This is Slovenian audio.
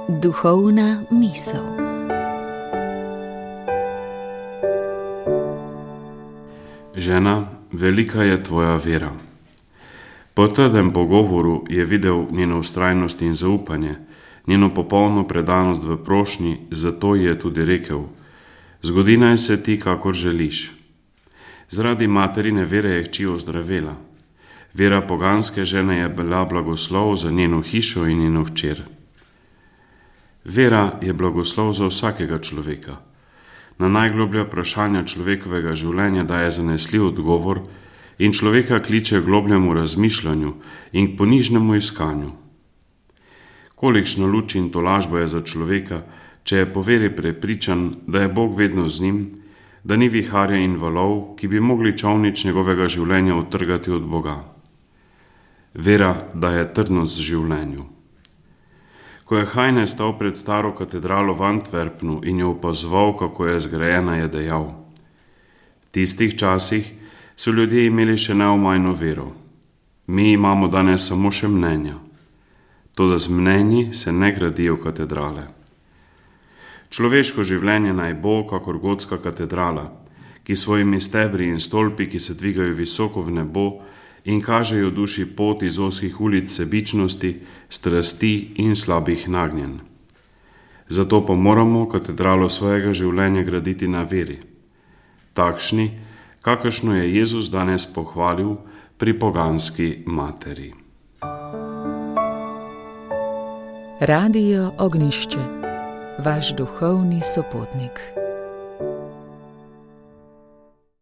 Duhovna misel. Žena, velika je tvoja vera. Po trdem pogovoru je videl njeno vztrajnost in zaupanje, njeno popolno predanost v prošnji, zato je tudi rekel: zgodi naj se ti, kakor želiš. Zaradi materine vere je hči ozdravela. Vera poganske žene je bila blagoslov za njeno hišo in njeno hčer. Vera je blagoslov za vsakega človeka. Na najgloblja vprašanja človekovega življenja daje zanesljiv odgovor in človeka kliče k globljemu razmišljanju in k ponižnemu iskanju. Kolikšno luč in tolažbo je za človeka, če je po veri prepričan, da je Bog vedno z njim, da ni viharja in valov, ki bi mogli čolnič njegovega življenja odtrgati od Boga. Vera daje trdnost življenju. Ko je Heine stal pred staro katedralo v Antwerpnu in jo opazoval, kako je zgrajena, je dejal: v tistih časih so ljudje imeli še neomajno vero. Mi imamo danes samo še mnenja. Toda z mnenji se ne gradijo katedrale. Človeško življenje naj bo kakor gotska katedrala, ki svojimi stebri in stolpi, ki se dvigajo visoko v nebo in kažejo duši pot iz ozkih ulic sebičnosti, strasti in slabih nagnjenj. Zato pa moramo katedralo svojega življenja graditi na veri, takšni, kakršno je Jezus danes pohvalil pri poganski materi. Radio Ognjišče, vaš duhovni sopotnik.